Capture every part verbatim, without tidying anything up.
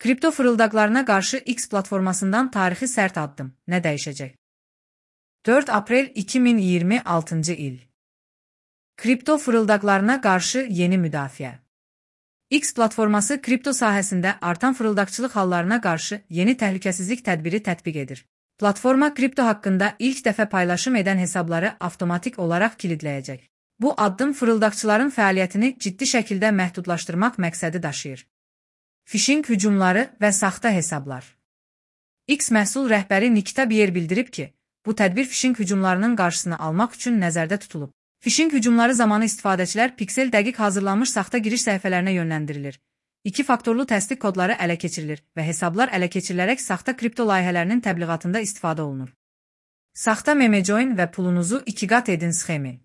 Kripto fırıldaqlarına qarşı X platformasından tarixi sərt addım. Nə dəyişəcək? dörd aprel iki min iyirmi altıncı il. Kripto fırıldaqlarına qarşı yeni müdafiə. X platforması kripto sahəsində artan fırıldaqçılıq hallarına qarşı yeni təhlükəsizlik tədbiri tətbiq edir. Platforma kripto haqqında ilk dəfə paylaşım edən hesabları avtomatik olaraq kilidləyəcək. Bu addım fırıldaqçıların fəaliyyətini ciddi şəkildə məhdudlaşdırmaq məqsədi daşıyır. Phishing hücumları və saxta hesablar. X məhsul rəhbəri Nikita Bier bildirib ki, bu tədbir phishing hücumlarının qarşısını almaq üçün nəzərdə tutulub. Phishing hücumları zamanı istifadəçilər piksel dəqiq hazırlanmış saxta giriş səhifələrinə yönləndirilir. İki faktorlu təsdiq kodları ələ keçirilir və hesablar ələ keçirilərək saxta kripto layihələrinin təbliğatında istifadə olunur. Saxta meme join və pulunuzu iki qat edin sxemi.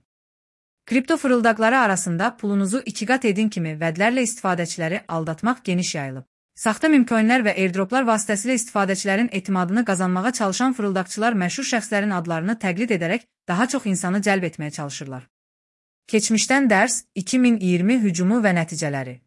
Kripto fırıldaqları arasında pulunuzu iki qat edin kimi vədlərlə istifadəçiləri aldatmaq geniş yayılıb. Saxta mimcoinlər və airdroplar vasitəsilə istifadəçilərin etimadını qazanmağa çalışan fırıldaqçılar məşhur şəxslərin adlarını təqlid edərək daha çox insanı cəlb etməyə çalışırlar. Keçmişdən dərs iki min iyirmi hücumu və nəticələri.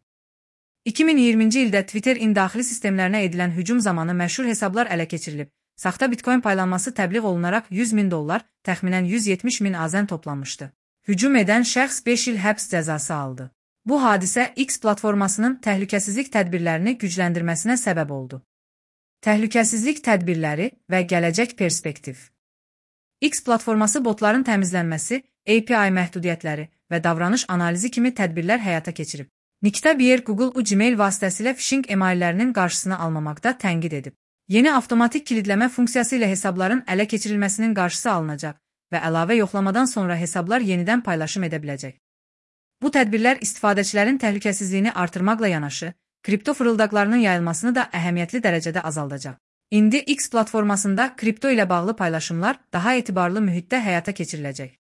iki min iyirminci ildə Twitterin daxili sistemlərinə edilən hücum zamanı məşhur hesablar ələ keçirilib. Saxta bitcoin paylanması təbliğ olunaraq yüz min dollar, təxminən yüz yetmiş min azən toplanmışdı. Hücum edən şəxs beş il həbs cəzası aldı. Bu hadisə X platformasının təhlükəsizlik tədbirlərini gücləndirməsinə səbəb oldu. Təhlükəsizlik tədbirləri və gələcək perspektiv. X platforması botların təmizlənməsi, A P I məhdudiyyətləri və davranış analizi kimi tədbirlər həyata keçirib. Nikita Bier Google Gmail vasitəsilə phishing emaillərinin qarşısını almamaqda tənqid edib. Yeni avtomatik kilidləmə funksiyası ilə hesabların ələ keçirilməsinin qarşısı alınacaq və əlavə yoxlamadan sonra hesablar yenidən paylaşım edə biləcək. Bu tədbirlər istifadəçilərin təhlükəsizliyini artırmaqla yanaşı, kripto fırıldaqlarının yayılmasını da əhəmiyyətli dərəcədə azaldacaq. İndi X platformasında kripto ilə bağlı paylaşımlar daha etibarlı mühitdə həyata keçiriləcək.